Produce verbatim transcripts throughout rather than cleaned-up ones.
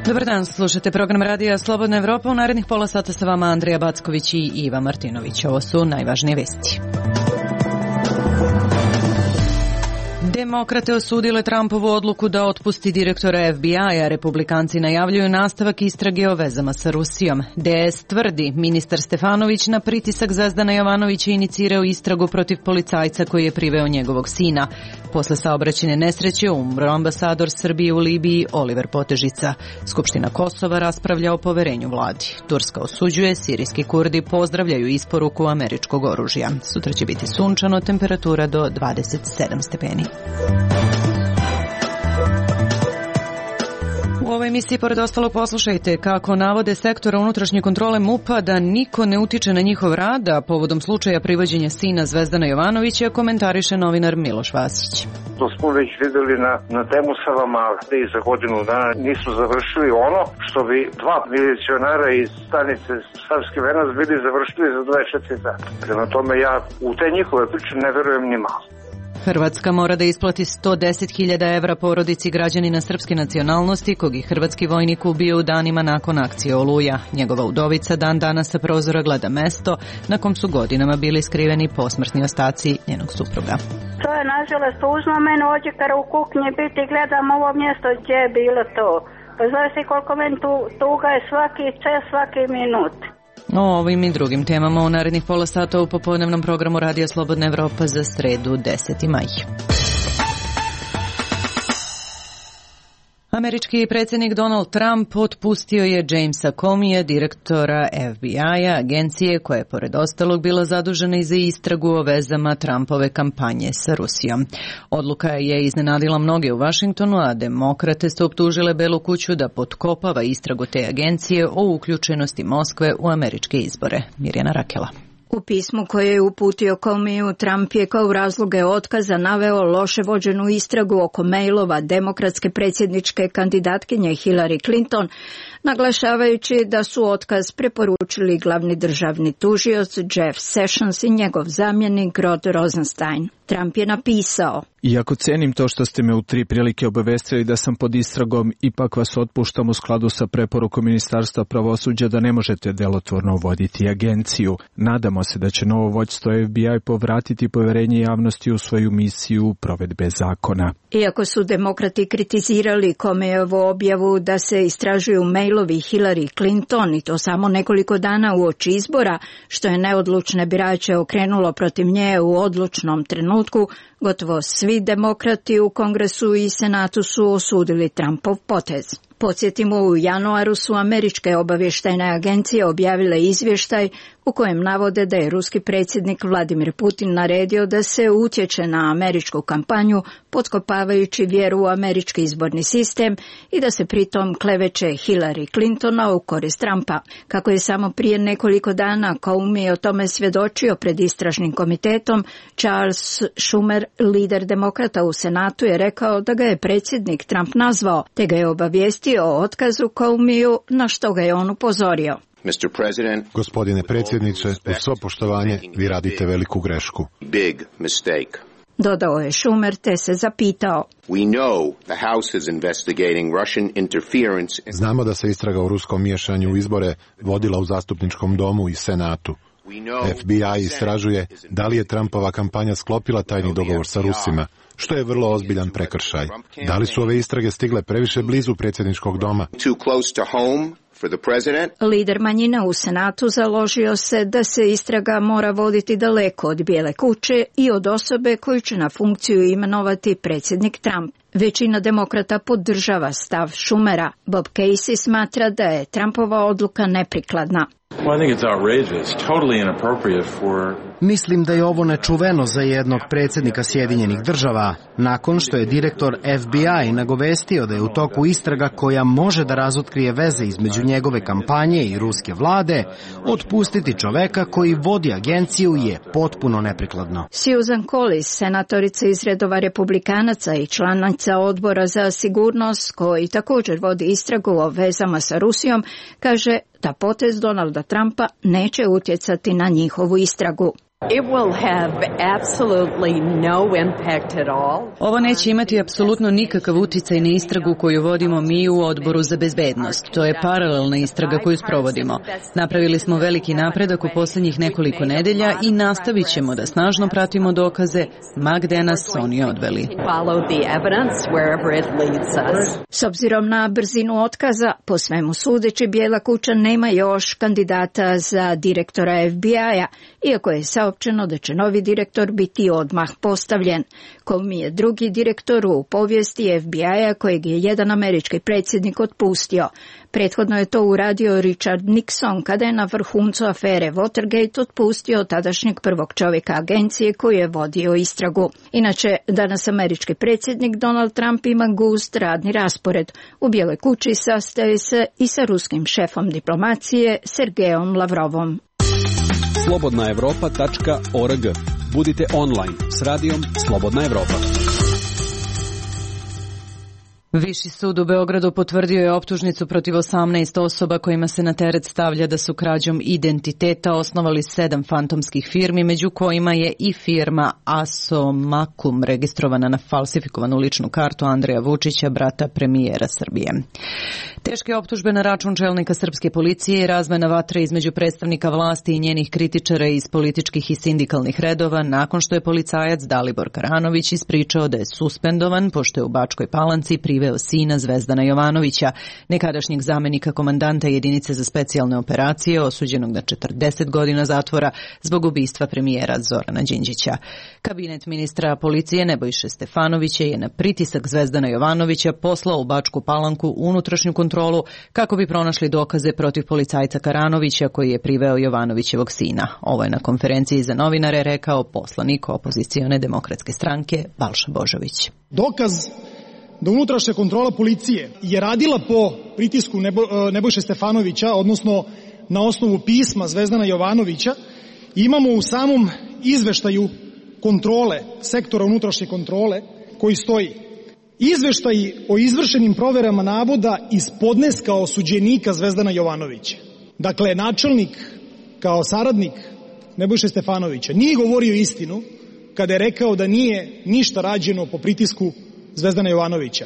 Dobar dan, slušate program Radija Slobodna Evropa. U narednih pola sata sa vama Andrija Backović i Iva Martinović. Ovo su najvažnije vesti. Demokrate osudile Trumpovu odluku da otpusti direktora F B I-a. Republikanci najavljuju nastavak istrage o vezama sa Rusijom. D S tvrdi, ministar Stefanović na pritisak Zvezdana Jovanovića inicirao istragu protiv policajca koji je priveo njegovog sina. Posle saobraćajne nesreće umro ambasador Srbije u Libiji Oliver Potežica. Skupština Kosova raspravlja o poverenju vladi. Turska osuđuje, sirijski Kurdi pozdravljaju isporuku američkog oružja. Sutra će biti sunčano, temperatura do dvadeset sedam stepeni. U ovoj emisiji pored ostalog poslušajte kako navode sektora unutrašnje kontrole M U P-a da niko ne utiče na njihov rad, a povodom slučaja privođenja sina Zvezdana Jovanovića komentariše novinar Miloš Vasić. To smo već videli na, na temu Savama da i za godinu dana nisu završili ono što bi dva milicionara iz stanice Savski Venac bili završili za dvadeset četiri dana. Prema tome ja u te njihove priče ne verujem ni malo. Hrvatska mora da isplati sto deset hiljada evra porodici građanina srpske nacionalnosti kog je hrvatski vojnik ubio u danima nakon akcije Oluja. Njegova udovica dan danas sa prozora gleda mesto na kom su godinama bili skriveni posmrtni ostaci njenog supruga. To je nažalost tužno, meni ođe kada u kuhinji biti gledam ovo mjesto gdje je bilo to. Pa znaš si koliko meni tu, tuga je svaki čas, svaki minut. O ovim i drugim temama u narednih pola sata u popodnevnom programu Radija Slobodna Evropa za sredu deseti maj. Američki predsjednik Donald Trump otpustio je Jamesa Comeyja, direktora F B I-a, agencije koja je pored ostalog bila zadužena i za istragu o vezama Trumpove kampanje sa Rusijom. Odluka je iznenadila mnoge u Vašingtonu, a demokrate su optužile Belu kuću da potkopava istragu te agencije o uključenosti Moskve u američke izbore. Mirjana Rakela. U pismu koje je uputio Comeyju, Trump je kao razloge otkaza naveo loše vođenu istragu oko mailova demokratske predsjedničke kandidatkinje Hillary Clinton, naglašavajući da su otkaz preporučili glavni državni tužioc Jeff Sessions i njegov zamjenik Rod Rosenstein. Trump je napisao: Iako cenim to što ste me u tri prilike obavestili da sam pod istragom, ipak vas otpuštam u skladu sa preporukom Ministarstva pravosuđa da ne možete delotvorno voditi agenciju. Nadamo se da će novo vođstvo F B I povratiti poverenje javnosti u svoju misiju provedbe zakona. Iako su demokrati kritizirali Comeyjevu objavu da se istražuju mailovi Hillary Clinton i to samo nekoliko dana uoči izbora, što je neodlučne birače okrenulo protiv nje u odlučnom trenutku, gotovo svi demokrati u Kongresu i Senatu su osudili Trumpov potez. Podsjetimo, u januaru su američke obavještajne agencije objavile izvještaj u kojem navode da je ruski predsjednik Vladimir Putin naredio da se utječe na američku kampanju, potkopavajući vjeru u američki izborni sistem i da se pritom kleveće Hillary Clintona u korist Trumpa. Kako je samo prije nekoliko dana Comey o tome svjedočio pred istražnim komitetom, Charles Schumer, lider demokrata u Senatu, je rekao da ga je predsjednik Trump nazvao, te ga je obavijestio o otkazu Comeyju, na što ga je on upozorio. Gospodine predsjedniče, uz svo poštovanje, vi radite veliku grešku. Dodao je Schumer, te se zapitao. Znamo da se istraga o ruskom miješanju u izbore vodila u zastupničkom domu i Senatu. F B I istražuje da li je Trumpova kampanja sklopila tajni dogovor sa Rusima, što je vrlo ozbiljan prekršaj. Da li su ove istrage stigle previše blizu predsjedničkog doma? Lider manjina u Senatu založio se da se istraga mora voditi daleko od Bijele kuće i od osobe koju će na funkciju imenovati predsjednik Trump. Većina demokrata podržava stav Schumera. Bob Casey smatra da je Trumpova odluka neprikladna. Mislim da je ovo nečuveno za jednog predsjednika Sjedinjenih država, nakon što je direktor F B I nagovestio da je u toku istraga koja može da razotkrije veze između njegove kampanje i ruske vlade, otpustiti čoveka koji vodi agenciju je potpuno neprikladno. Susan Collins, senatorica iz redova republikanaca i članica odbora za sigurnost, koji također vodi istragu o vezama sa Rusijom, kaže da potez Donalda Trumpa neće utjecati na njihovu istragu. It will have absolutely no impact at all. Ovo neće imati apsolutno nikakav uticaj na istragu koju vodimo mi u Odboru za bezbednost. To je paralelna istraga koju sprovodimo. Napravili smo veliki napredak u poslednjih nekoliko nedelja i nastavit ćemo da snažno pratimo dokaze ma gde nas oni odveli. S obzirom na brzinu otkaza, po svemu sudeći, Bijela kuća nema još kandidata za direktora F B I-a, iako je saopćeno da će novi direktor biti odmah postavljen. Comey je drugi direktor u povijesti F B I-a kojeg je jedan američki predsjednik otpustio. Prethodno je to uradio Richard Nixon kada je na vrhuncu afere Watergate otpustio tadašnjeg prvog čovjeka agencije koji je vodio istragu. Inače, danas američki predsjednik Donald Trump ima gust radni raspored. U Bijeloj kući sastaje se i sa ruskim šefom diplomacije Sergejom Lavrovom. slobodna evropa tačka org. Budite online s radijom Slobodna Evropa. Viši sud u Beogradu potvrdio je optužnicu protiv osamnaest osoba kojima se na teret stavlja da su krađom identiteta osnovali sedam fantomskih firmi, među kojima je i firma Asomakum registrovana na falsifikovanu ličnu kartu Andreja Vučića, brata premijera Srbije. Teške optužbe na račun čelnika srpske policije i razmena vatre između predstavnika vlasti i njenih kritičara iz političkih i sindikalnih redova nakon što je policajac Dalibor Karanović ispričao da je suspendovan pošto je u Bačkoj Palanci priveo sina Zvezdana Jovanovića, nekadašnjeg zamenika komandanta jedinice za specijalne operacije, osuđenog na četrdeset godina zatvora zbog ubistva premijera Zorana Đinđića. Kabinet ministra policije Nebojše Stefanovića je na pritisak Zvezdana Jovanovića poslao u Bačku Palanku unutrašnju kontrolu kako bi pronašli dokaze protiv policajca Karanovića koji je priveo Jovanovićevog sina. Ovo je na konferenciji za novinare rekao poslanik opozicione demokratske stranke Balša Božović. Dokaz da unutrašnja kontrola policije je radila po pritisku Nebo, Nebojše Stefanovića, odnosno na osnovu pisma Zvezdana Jovanovića, imamo u samom izveštaju kontrole, sektora unutrašnje kontrole, koji stoji: izveštaj o izvršenim proverama navoda iz podneska osuđenika Zvezdana Jovanovića. Dakle, načelnik kao saradnik Nebojše Stefanovića nije govorio istinu kada je rekao da nije ništa rađeno po pritisku Zvezdana Jovanovića.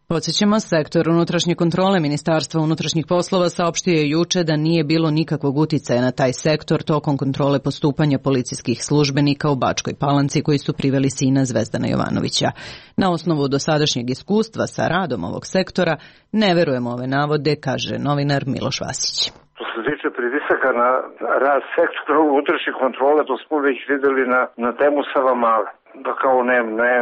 Podsjećamo, sektor unutrašnje kontrole Ministarstva unutrašnjih poslova saopštio je juče da nije bilo nikakvog uticaja na taj sektor tokom kontrole postupanja policijskih službenika u Bačkoj Palanci koji su priveli sina Zvezdana Jovanovića. Na osnovu dosadašnjeg iskustva sa radom ovog sektora ne verujemo ove navode, kaže novinar Miloš Vasić. Što se tiče pritisaka na rad sektora unutrašnje kontrole, to smo već videli na, na temu Savamale. Da kao ne, ne,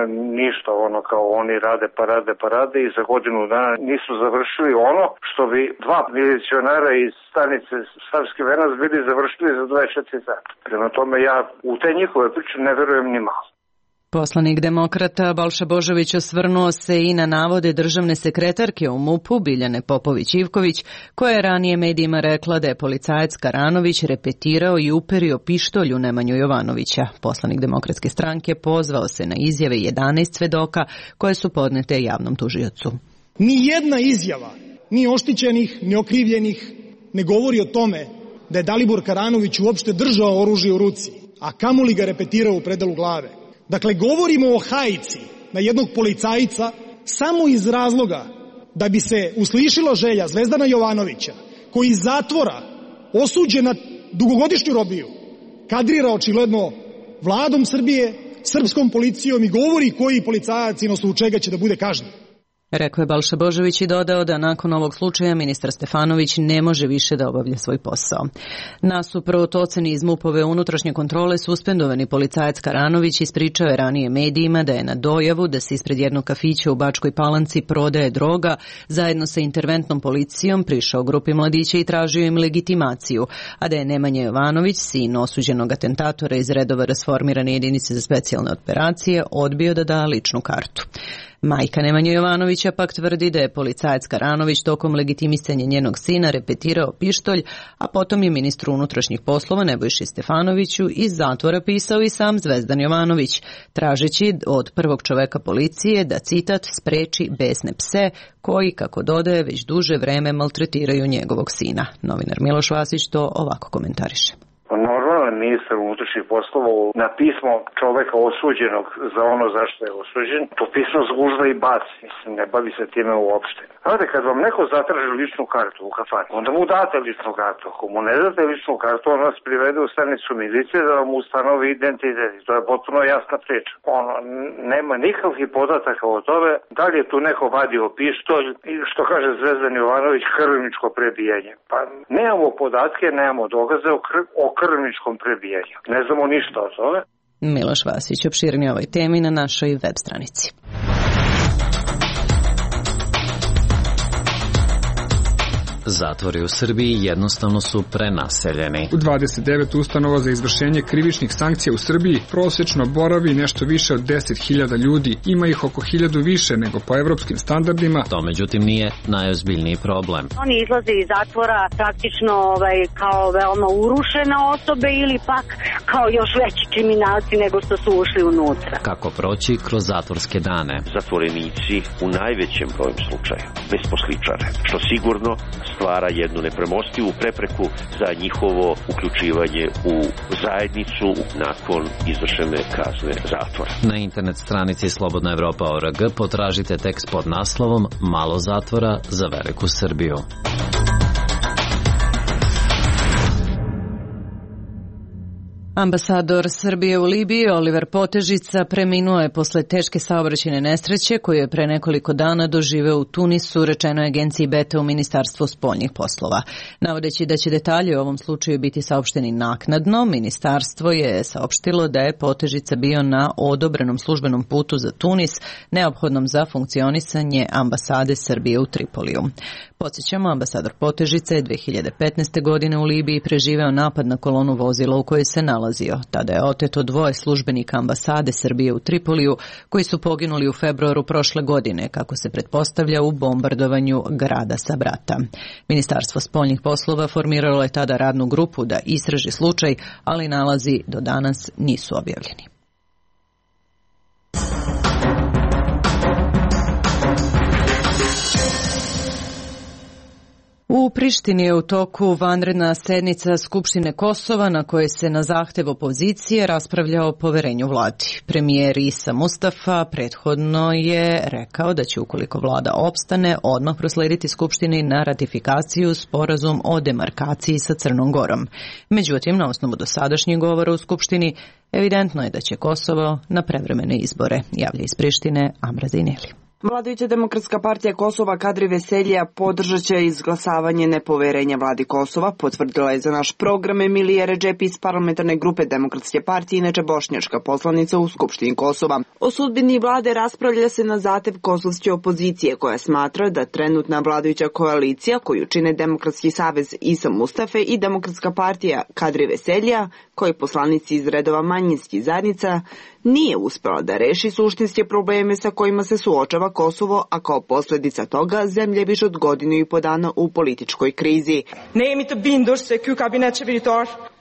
ništa, ono kao oni rade pa rade pa rade i za godinu dana nisu završili ono što bi dva milicionara iz stanice Savski Venac bili završili za dvadeset četiri sata. Prema tome ja u te njihove priče ne verujem ni malo. Poslanik demokrata Balša Božović osvrnuo se i na navode državne sekretarke u MUP-u Biljane Popović-Ivković, koja je ranije medijima rekla da je policajac Karanović repetirao i uperio pištolju Nemanju Jovanovića. Poslanik demokratske stranke pozvao se na izjave jedanaest svedoka koje su podnete javnom tužiocu. Ni jedna izjava, ni oštećenih, ni okrivljenih, ne govori o tome da je Dalibor Karanović uopšte držao oružje u ruci, a kamoli ga repetirao u predalu glave. Dakle, govorimo o hajci na jednog policajca samo iz razloga da bi se uslišila želja Zvezdana Jovanovića, koji iz zatvora, osuđen na dugogodišnju robiju, kadrira očigledno vladom Srbije, srpskom policijom i govori koji policajac i na osnovu čega će da bude kažnjen. Rekao je Balša Božović i dodao da nakon ovog slučaja ministar Stefanović ne može više da obavlja svoj posao. Nasuprot oceni iz MUP-ove unutrašnje kontrole, suspendovani policajac Karanović ispričao je ranije medijima da je na dojavu da se ispred jednog kafića u Bačkoj Palanci prodaje droga zajedno sa interventnom policijom prišao grupi mladića i tražio im legitimaciju, a da je Nemanja Jovanović, sin osuđenog atentatora iz redova rasformirane jedinice za specijalne operacije, odbio da da ličnu kartu. Majka Nemanja Jovanovića pak tvrdi da je policajac Karanović tokom legitimisanja njenog sina repetirao pištolj, a potom je ministru unutrašnjih poslova Nebojši Stefanoviću iz zatvora pisao i sam Zvezdan Jovanović, tražeći od prvog čoveka policije da, citat, spreči besne pse koji, kako dodaje, već duže vreme maltretiraju njegovog sina. Novinar Miloš Vasić to ovako komentariše. Normalno aktualni ministar unutrašnjih poslova na pismo čoveka osuđenog za ono zašto je osuđen, to pismo zgužva i baci. Mislim, ne bavi se time uopšte. Znate, kad vam neko zatraži ličnu kartu u kafani, onda mu date ličnu kartu. Ako mu ne date ličnu kartu, on vas privede u stanicu milicije da vam ustanovi identitet. To je potpuno jasna priča. Ono, nema nikakvih podataka o tome da li je tu neko vadio pištolj i što kaže Zvezdan Jovanović, krvničko prebijanje. Pa nemamo podatke, nemamo dokaze o, kr o krvničkom prebijanju. Ne znamo ništa o tome. Miloš Vasić opširnije ovoj temi na našoj web stranici. Zatvori u Srbiji jednostavno su prenaseljeni. U dvadeset devet ustanova za izvršenje krivičnih sankcija u Srbiji prosečno boravi nešto više od deset hiljada ljudi. Ima ih oko hiljadu više nego po evropskim standardima. To međutim nije najozbiljniji problem. Oni izlaze iz zatvora praktično ovaj, kao veoma urušene osobe ili pak kao još veći kriminalci nego što su ušli unutra. Kako proći kroz zatvorske dane? Zatvorenici u najvećem broju slučaja besposličare, što sigurno stvara jednu nepremostivu prepreku za njihovo uključivanje u zajednicu nakon izvršene kazne zatvora. Na internet stranici Slobodna Evropa O R G potražite tekst pod naslovom Malo zatvora za veliku Srbiju. Ambasador Srbije u Libiji Oliver Potežica preminuo je posle teške saobraćajne nesreće koju je pre nekoliko dana doživeo u Tunisu, rečeno je agenciji Beta u Ministarstvu spoljnih poslova. Navodeći da će detalji o ovom slučaju biti saopšteni naknadno, ministarstvo je saopštilo da je Potežica bio na odobrenom službenom putu za Tunis, neophodnom za funkcionisanje ambasade Srbije u Tripoliju. Podsjećamo, ambasador Potežica je dve hiljade petnaeste. godine u Libiji preživeo napad na kolonu vozila u kojoj se nalazio. Tada je oteto dvoje službenika ambasade Srbije u Tripoliju koji su poginuli u februaru prošle godine, kako se pretpostavlja u bombardovanju grada Sabrata. Ministarstvo spoljnih poslova formiralo je tada radnu grupu da istraži slučaj, ali nalazi do danas nisu objavljeni. U Prištini je u toku vanredna sednica Skupštine Kosova na kojoj se na zahtev opozicije raspravlja o poverenju vladi. Premijer Isa Mustafa prethodno je rekao da će, ukoliko vlada opstane, odmah proslediti Skupštini na ratifikaciju sporazum o demarkaciji sa Crnom Gorom. Međutim, na osnovu dosadašnjeg govora u Skupštini, evidentno je da će Kosovo na prevremene izbore, javlja iz Prištine Amra Zineli. Vladajuća Demokratska partija Kosova Kadri Veselija podržat će izglasavanje nepoverenja vladi Kosova, potvrdila je za naš program Emilija Redžepi iz parlamentarne grupe Demokratske partije, inače bošnjačka poslanica u Skupštini Kosova. O sudbini vlade raspravlja se na zahtev kosovske opozicije, koja smatra da trenutna vladajuća koalicija, koju čine Demokratski savez Isa Mustafe i Demokratska partija Kadri Veselija, koji poslanici iz redova manjinskih zajednica, nije uspela da reši suštinske probleme sa kojima se suočava Kosovo, a kao posljedica toga zemlja je više od godinu i po dana u političkoj krizi.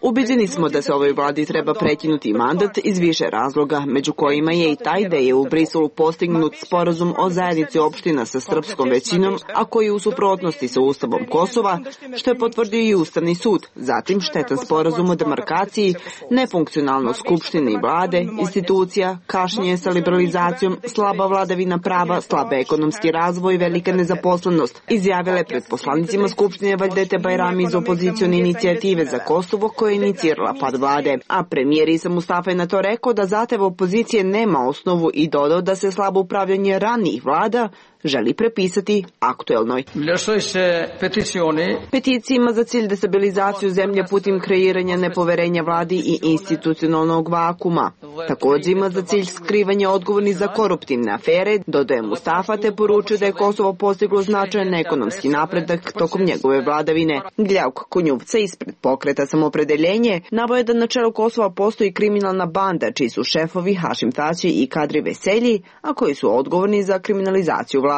Ubeđeni smo da se ovoj vladi treba prekinuti mandat iz više razloga, među kojima je i taj da je u Briselu postignut sporazum o zajednici opština sa srpskom većinom, a koji je u suprotnosti sa Ustavom Kosova, što je potvrdio i Ustavni sud. Zatim štetan sporazum o demarkaciji, nefunkcionalnost skupštine i vlade, institucija, kašnjenje sa liberalizacijom, slaba vladavina prava, slabe ekonomski razvoj, velika nezaposlenost, izjavile pred poslanicima Skupštine Vajdete Bajrami iz opozicione inicijative za Kosovo, koja je inicirala pad vlade. A premijer Isa Mustafa je na to rekao da zahtev opozicije nema osnovu i dodao da se slabo upravljanje ranijih vlada želi prepisati aktuelnoj. Peticija ima za cilj destabilizaciju zemlje putem kreiranja nepoverenja vladi i institucionalnog vakuma. Također ima za cilj skrivanje odgovornih za koruptivne afere, dodaje Mustafa, te poručuje da je Kosovo postiglo značajan ekonomski napredak tokom njegove vladavine. Gljauk Kunjuvca ispred pokreta Samopredeljenje navoje da na čelu Kosova postoji kriminalna banda čiji su šefovi Hašim Tači i Kadri Veselji, a koji su odgovorni za kriminalizaciju vlasti.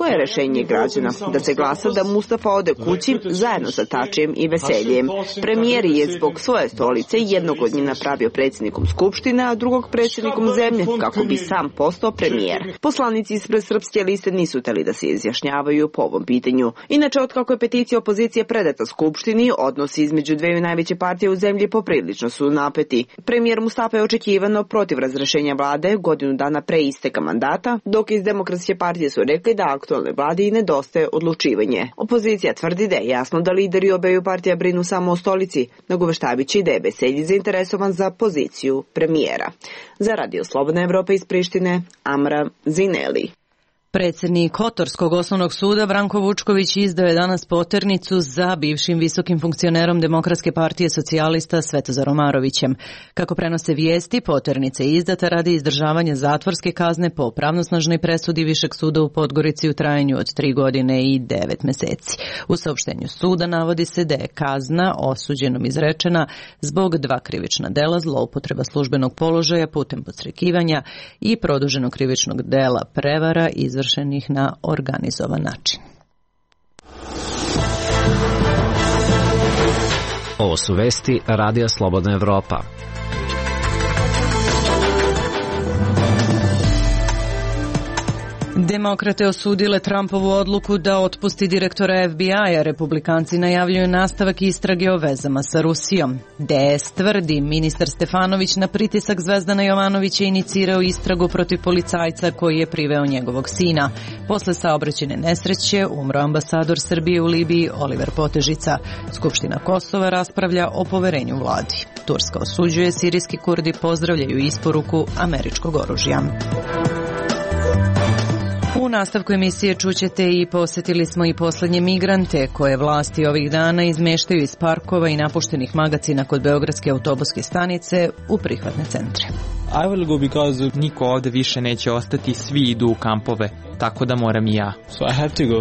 Koje je rešenje građana? Da se glasa da Mustafa ode kući zajedno sa Tačijem i Veseljem. Premijer je zbog svoje stolice jednog od njih napravio predsjednikom Skupštine, a drugog predsjednikom zemlje, kako bi sam postao premijer. Poslanici ispred Srpske liste nisu teli da se izjašnjavaju po ovom pitanju. Inače, otkako je peticija opozicije predata Skupštini, odnosi između dveju najveće partije u zemlji poprilično su napeti. Premijer Mustafa je očekivano protiv razrešenja vlade godinu dana pre isteka mandata, dok iz Demokratske partije su rekli da aktualne vlade i nedostaje odlučivanje. Opozicija tvrdi da je jasno da lideri obeju partija brinu samo o stolici, nagoveštavići da je Veselji zainteresovan za poziciju premijera. Za Radio Slobodna Evropa iz Prištine, Amra Zineli. Predsjednik Kotorskog osnovnog suda Branko Vučković izdao je danas poternicu za bivšim visokim funkcionerom Demokratske partije socijalista Svetozarom Marovićem. Kako prenose vijesti, poternica je izdata radi izdržavanja zatvorske kazne po pravnosnažnoj presudi Višeg suda u Podgorici u trajanju od tri godine i devet meseci. U saopštenju suda navodi se da je kazna osuđenom izrečena zbog dva krivična dela, zloupotreba službenog položaja putem podstrekivanja i produženog krivičnog dela prevara iz izvršenih na organizovan način. Ovo su vesti Radija Slobodna Evropa. Demokrate osudile Trumpovu odluku da otpusti direktora F B I-a. Republikanci najavljuju nastavak istrage o vezama sa Rusijom. D S tvrdi, ministar Stefanović na pritisak Zvezdana Jovanovića inicirao istragu protiv policajca koji je priveo njegovog sina. Posle saobraćajne nesreće umro ambasador Srbije u Libiji Oliver Potežica. Skupština Kosova raspravlja o poverenju vladi. Turska osuđuje, sirijski Kurdi pozdravljaju isporuku američkog oružja. U nastavku emisije čućete i posjetili smo i poslednje migrante koje vlasti ovih dana izmeštaju iz parkova i napuštenih magacina kod Beogradske autobuske stanice u prihvatne centre. I will go because niko ovde više neće ostati, svi idu u kampove, tako da moram i ja. So I have to go.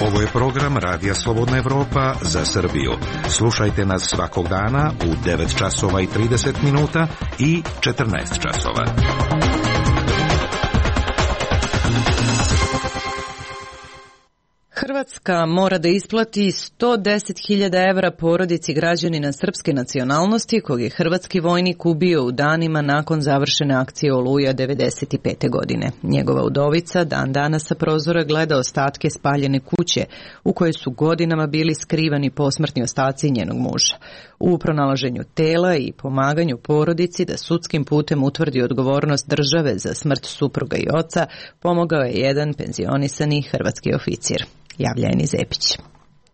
Ovo je program Radija Slobodna Evropa za Srbiju. Slušajte nas svakog dana u devet časova i trideset minuta i četrnaest časova. Hrvatska mora da isplati sto deset hiljada evra porodici građanina srpske nacionalnosti kog je hrvatski vojnik ubio u danima nakon završene akcije Oluja devedeset pete. godine. Njegova udovica dan danas sa prozora gleda ostatke spaljene kuće u kojoj su godinama bili skrivani posmrtni ostaci njenog muža. U pronalaženju tela i pomaganju porodici da sudskim putem utvrdi odgovornost države za smrt supruga i oca pomogao je jedan penzionisani hrvatski oficir. Javlja Eni Zepić.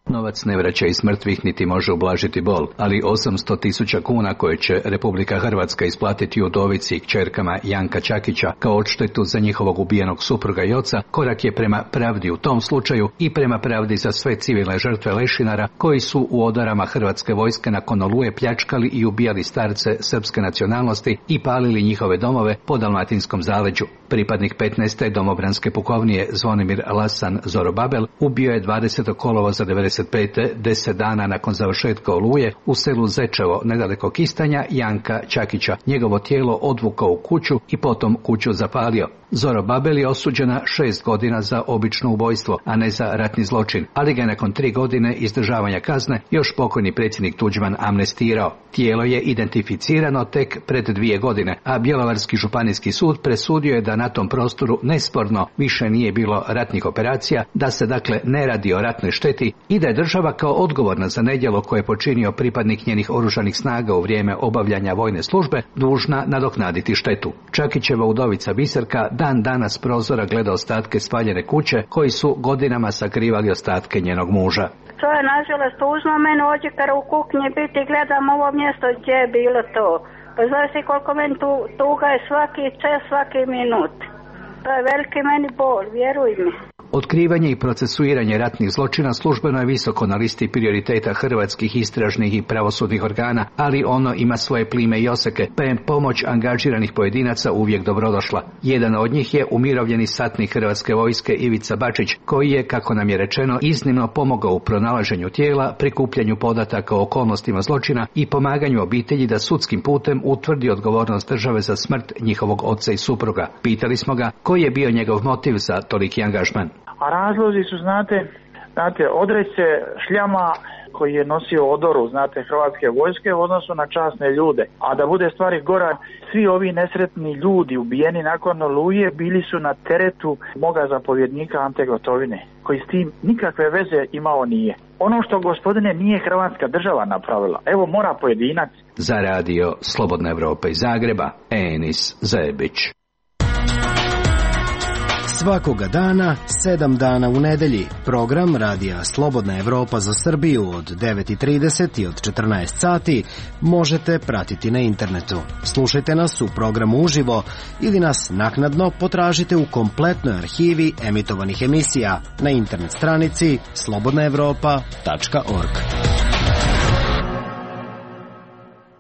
Novac ne vraća iz mrtvih niti može ublažiti bol, ali osamsto tisuća kuna koje će Republika Hrvatska isplatiti udovici i kćerkama Janka Čakića kao odštetu za njihovog ubijenog supruga i oca korak je prema pravdi u tom slučaju i prema pravdi za sve civilne žrtve lešinara koji su u odarama hrvatske vojske nakon Oluje pljačkali i ubijali starce srpske nacionalnosti i palili njihove domove po dalmatinskom zaleđu. Pripadnik petnaeste domobranske pukovnije Zvonimir Lasan Zorobabel ubio je dvadesetog kolovoza devedeset pete. deset dana nakon završetka Oluje u selu Zečevo nedaleko Kistanja Janka Čakića. Njegovo tijelo odvukao u kuću i potom kuću zapalio. Zorobabel je osuđena šest godina za obično ubojstvo, a ne za ratni zločin, ali ga je nakon tri godine izdržavanja kazne još pokojni predsjednik Tuđman amnestirao. Tijelo je identificirano tek pred dvije godine, a Bjelovarski županijski sud presudio je da na tom prostoru nesporno više nije bilo ratnih operacija, da se dakle ne radi o ratnoj šteti i da je država kao odgovorna za nedjelo koje je počinio pripadnik njenih oružanih snaga u vrijeme obavljanja vojne službe dužna nadoknaditi štetu. Čakićeva udovica Biserka dan danas prozora gleda ostatke spaljene kuće koji su godinama sakrivali ostatke njenog muža. To je nažalost tužno, meni ođe kada u kuhinji biti gledam ovo mjesto gdje je bilo to. Pa znaš si koliko meni tu, tuga je svaki čas, svaki minut. To je veliki meni bol, vjeruj mi. Otkrivanje i procesuiranje ratnih zločina službeno je visoko na listi prioriteta hrvatskih istražnih i pravosudnih organa, ali ono ima svoje plime i oseke, pa je pomoć angažiranih pojedinaca uvijek dobrodošla. Jedan od njih je umirovljeni satnik Hrvatske vojske Ivica Bačić, koji je, kako nam je rečeno, iznimno pomogao u pronalaženju tijela, prikupljanju podataka o okolnostima zločina i pomaganju obitelji da sudskim putem utvrdi odgovornost države za smrt njihovog oca i supruga. Pitali smo ga koji je bio njegov motiv za toliki angažman. A razlozi su, znate, znate, odreć se šljama koji je nosio odoru, znate, Hrvatske vojske u odnosu na časne ljude. A da bude stvari gora, svi ovi nesretni ljudi ubijeni nakon Oluje bili su na teretu moga zapovjednika Ante Gotovine, koji s tim nikakve veze imao nije. Ono što, gospodine, nije Hrvatska država napravila, evo mora pojedinac. Za radio Slobodna Evropa iz Zagreba, Enis Zebić. Svakoga dana, sedam dana u nedelji, program radija Slobodna Evropa za Srbiju od devet i trideset i od četrnaest sati možete pratiti na internetu. Slušajte nas u programu uživo ili nas naknadno potražite u kompletnoj arhivi emitovanih emisija na internet stranici slobodna evropa tačka org.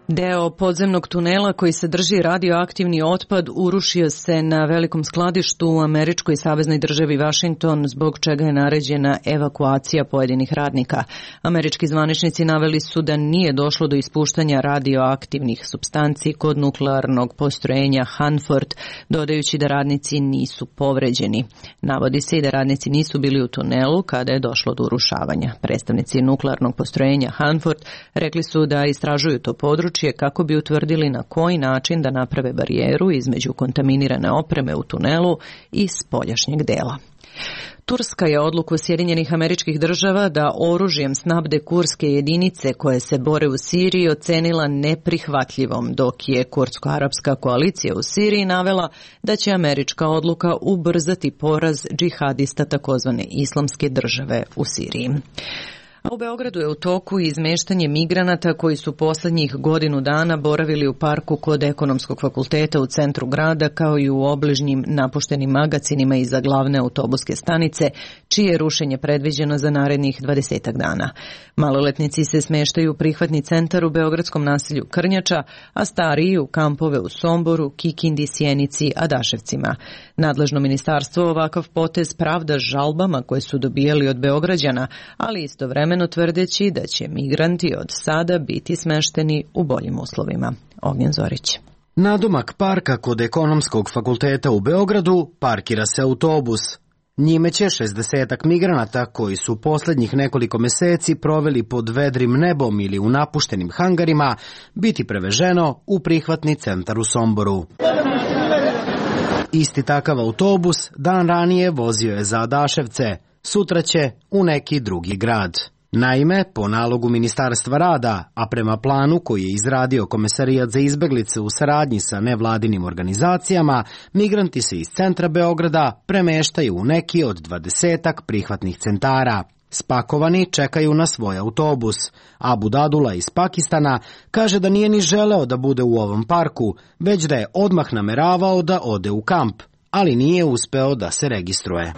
Deo podzemnog tunela koji sadrži radioaktivni otpad urušio se na velikom skladištu u američkoj saveznoj državi Washington, zbog čega je naređena evakuacija pojedinih radnika. Američki zvaničnici naveli su da nije došlo do ispuštanja radioaktivnih supstanci kod nuklearnog postrojenja Hanford, dodajući da radnici nisu povređeni. Navodi se i da radnici nisu bili u tunelu kada je došlo do urušavanja. Predstavnici nuklearnog postrojenja Hanford rekli su da istražuju to područje kako bi utvrdili na koji način da naprave barijeru između kontaminirane opreme u tunelu i spoljašnjeg dela. Turska je odluku Sjedinjenih Američkih Država da oružjem snabde kurske jedinice koje se bore u Siriji ocenila neprihvatljivom, dok je kurdsko-arapska koalicija u Siriji navela da će američka odluka ubrzati poraz džihadista takozvane islamske države u Siriji. A u Beogradu je u toku izmeštanje migranata koji su poslednjih godinu dana boravili u parku kod Ekonomskog fakulteta u centru grada, kao i u obližnjim napuštenim magacinima iza glavne autobuske stanice, čije je rušenje predviđeno za narednih dvadesetak dana. Maloletnici se smeštaju u prihvatni centar u beogradskom naselju Krnjača, a stariji u kampove u Somboru, Kikindi, Sjenici, Adaševcima. Nadležno ministarstvo ovakav potez pravda žalbama koje su dobijali od Beograđana, ali istovremeno tvrdeći da će migranti od sada biti smešteni u boljim uslovima. Ognjen Zorić. Nadomak parka kod Ekonomskog fakulteta u Beogradu parkira se autobus. Njime će šezdesetak migranata koji su poslednjih nekoliko meseci proveli pod vedrim nebom ili u napuštenim hangarima biti preveženo u prihvatni centar u Somboru. Isti takav autobus dan ranije vozio je za Adaševce, sutra će u neki drugi grad. Naime, po nalogu Ministarstva rada, a prema planu koji je izradio Komesarijat za izbeglice u saradnji sa nevladinim organizacijama, migranti se iz centra Beograda premeštaju u neki od dvadesetak prihvatnih centara. Spakovani čekaju na svoj autobus. Abu Dadula iz Pakistana kaže da nije ni želeo da bude u ovom parku, već da je odmah nameravao da ode u kamp, ali nije uspeo da se registruje.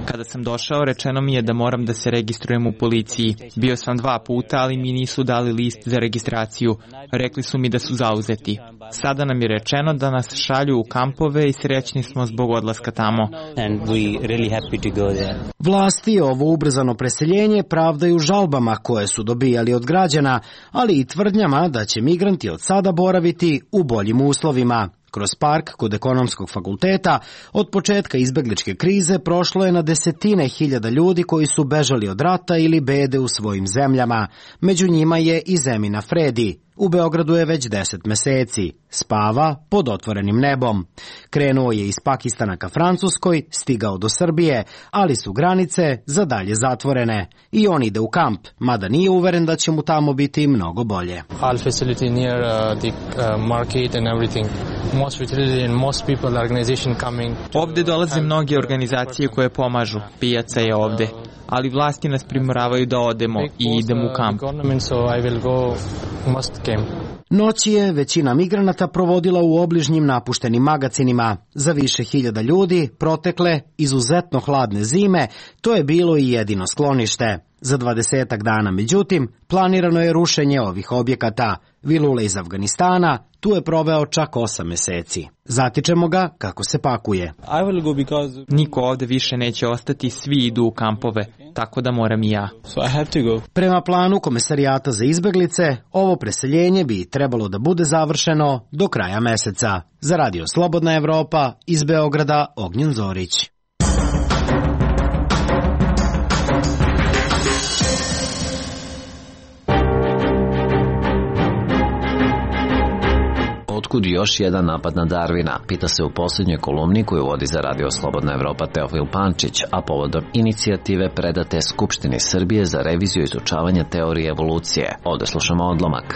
Kada sam došao, rečeno mi je da moram da se registrujem u policiji. Bio sam dva puta, ali mi nisu dali list za registraciju. Rekli su mi da su zauzeti. Sada nam je rečeno da nas šalju u kampove i srećni smo zbog odlaska tamo. Vlasti ovo ubrzano preseljenje pravdaju žalbama koje su dobijali od građana, ali i tvrdnjama da će migranti od sada boraviti u boljim uslovima. Kroz park kod Ekonomskog fakulteta od početka izbegličke krize prošlo je na desetine hiljada ljudi koji su bežali od rata ili bede u svojim zemljama. Među njima je i Zemina Fredi. U Beogradu je već deset meseci. Spava pod otvorenim nebom. Krenuo je iz Pakistana ka Francuskoj, stigao do Srbije, ali su granice za dalje zatvorene. I on ide u kamp, mada nije uveren da će mu tamo biti mnogo bolje. All facility near uh, the uh, market and everything. Most facility and most people organization coming. Ovde dolaze mnoge organizacije koje pomažu. Pijaca je ovde. Ali vlasti nas primoravaju da odemo i idemo u kamp. Noć je većina migranata provodila u obližnjim napuštenim magacinima. Za više hiljada ljudi protekle izuzetno hladne zime to je bilo i jedino sklonište. Za dvadesetak dana, međutim, planirano je rušenje ovih objekata. Vilule iz Afganistana tu je proveo čak osam meseci. Zatičemo ga kako se pakuje. Because... Niko ovde više neće ostati, svi idu u kampove, tako da moram i ja. So I have to go. Prema planu Komesarijata za izbeglice, ovo preseljenje bi trebalo da bude završeno do kraja meseca. Za Radio Slobodna Evropa, iz Beograda, Ognjen Zorić. Otkud još jedan napad na Darwina, pita se u posljednjoj kolumni koju vodi za Radio Slobodna Evropa Teofil Pančić, a povodom inicijative predate Skupštini Srbije za reviziju izučavanja teorije evolucije. Ovde slušamo odlomak.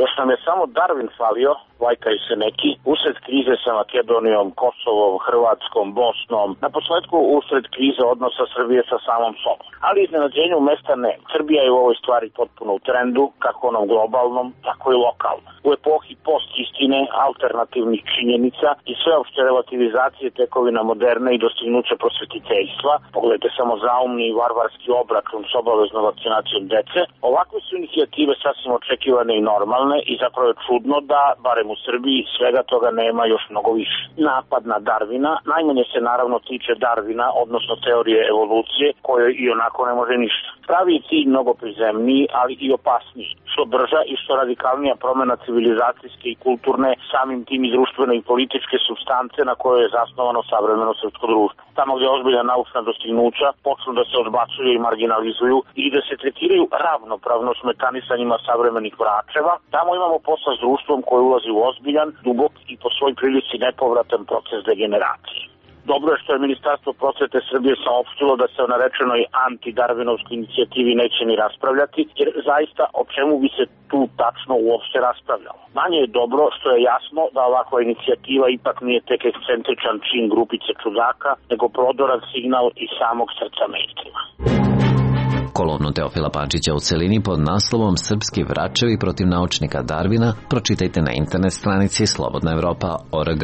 Još nam je samo Darwin falio, lajkaju se neki, usred krize sa Makedonijom, Kosovom, Hrvatskom, Bosnom, na posledku usred krize odnosa Srbije sa samom sobom. Ali iznenađenju mesta ne. Srbija je u ovoj stvari potpuno u trendu, kako onom globalnom, tako i lokalnom. U epohi post-istine, alternativnih činjenica i sveopšte relativizacije tekovina moderne i dostignuća prosvetiteljstva, pogledajte samo zaumni i varvarski obračun s obaveznom vakcinacijom dece, ovakve su inicijative sasvim očekivane i normalne i zapravo je čudno da, barem u Srbiji, svega toga nema još mnogo više. Napad na Darwina najmanje se naravno tiče Darwina, odnosno teorije evolucije, kojoj i onako ne može ništa. Pravi je cilj mnogo prizemniji, ali i opasniji. Što brža i što radikalnija promena civilizacijske i kulturne, samim tim i društvene i političke supstance na kojoj je zasnovano savremeno srpsko društvo. Tamo gdje ozbiljna naučna dostignuća počnu da se odbacuju i marginalizuju i da se tretiraju ravnopravno s mekanisanjima savremenih vračeva, tamo imamo posla s društvom koje ulazi u ozbiljan, dubok i po svoj prilici nepovratan proces degeneracije. Dobro je što je Ministarstvo prosvete Srbije saopštilo da se o narečenoj anti-darvinovskoj inicijativi neće ni raspravljati, jer zaista o čemu bi se tu tačno uopšte raspravljalo. Manje je dobro što je jasno da ovakva inicijativa ipak nije tek ekscentričan čin grupice čudaka, nego prodoran signal iz samog srca mainstreama. Kolumnu Teofila Pančića u celini pod naslovom Srpski vračevi protiv naučnika Darwina pročitajte na internet stranici slobodna evropa tačka org.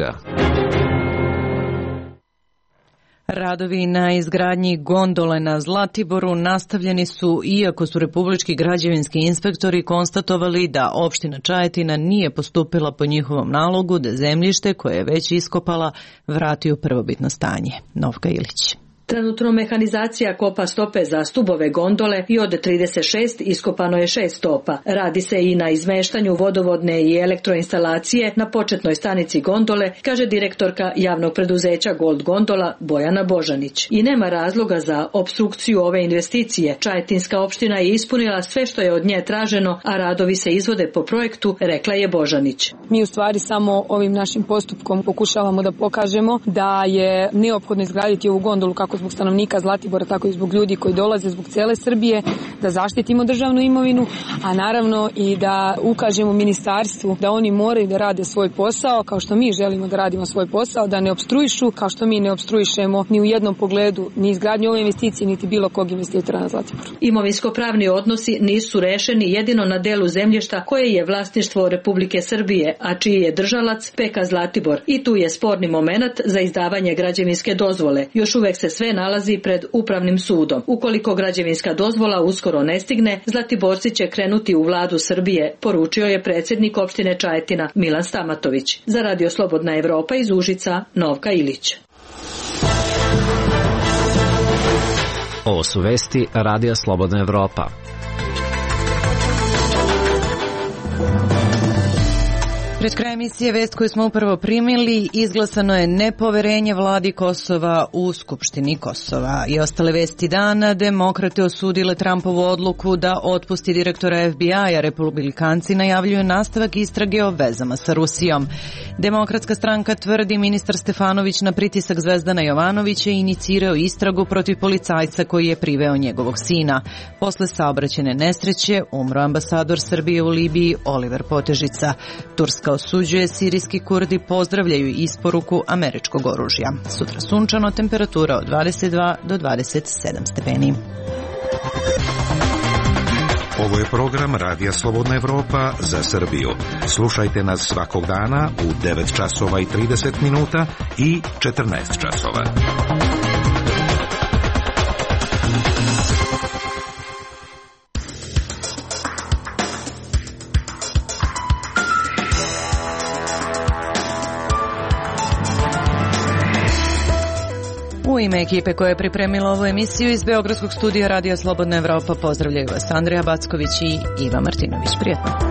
Radovi na izgradnji gondole na Zlatiboru nastavljeni su, iako su republički građevinski inspektori konstatovali da opština Čajetina nije postupila po njihovom nalogu da zemljište koje je već iskopala vrati u prvobitno stanje. Novka Ilić. Trenutno mehanizacija kopa stope za stubove gondole i od trideset šest iskopano je šest stopa. Radi se i na izmeštanju vodovodne i elektroinstalacije na početnoj stanici gondole, kaže direktorka javnog preduzeća Gold Gondola Bojana Božanić. I nema razloga za opstrukciju ove investicije. Čajetinska opština je ispunila sve što je od nje traženo, a radovi se izvode po projektu, rekla je Božanić. Mi u stvari samo ovim našim postupkom pokušavamo da pokažemo da je neophodno izgraditi ovu gondolu kako zbog stanovnika Zlatibora, tako i zbog ljudi koji dolaze zbog cele Srbije, da zaštitimo državnu imovinu, a naravno i da ukažemo ministarstvu da oni moraju da rade svoj posao, kao što mi želimo da radimo svoj posao, da ne opstruišu, kao što mi ne opstruišemo ni u jednom pogledu ni izgradnju ove investicije, niti bilo kog investitora na Zlatiboru. Imovinsko-pravni odnosi nisu rešeni jedino na delu zemljišta koje je vlasništvo Republike Srbije, a čiji je držalac P K Zlatibor. I tu je sporni momenat za izdavanje građevinske dozvole. Još uvek se sve nalazi pred upravnim sudom. Ukoliko građevinska dozvola uskoro ne stigne, Zlatiborci će krenuti u vladu Srbije, poručio je predsjednik opštine Čajetina Milan Stamatović. Za Radio Slobodna Evropa iz Užica, Novka Ilić. Ovo su vesti Radija Slobodna Evropa. Pred kraj emisije vest koju smo upravo primili, izglasano je nepoverenje vladi Kosova u Skupštini Kosova. I ostale vesti dana, demokrate osudile Trumpovu odluku da otpusti direktora F B I-a, republikanci najavljuju nastavak istrage o vezama sa Rusijom. Demokratska stranka tvrdi ministar Stefanović na pritisak Zvezdana Jovanovića inicirao istragu protiv policajca koji je priveo njegovog sina. Posle saobraćajne nesreće umro ambasador Srbije u Libiji Oliver Potežica. Turska osuđuje, sirijski Kurdi pozdravljaju isporuku američkog oružja. Sutra sunčano, temperatura od dvadeset dva do dvadeset sedam stepeni. Ovo je program Radija Slobodna Evropa za Srbiju. Slušajte nas svakog dana u devet časova i trideset minuta i četrnaest časova. U ime ekipe koja je pripremila ovu emisiju iz Beogradskog studija Radija Slobodna Evropa pozdravljaju vas Andrija Backović i Iva Martinović. Prijetno.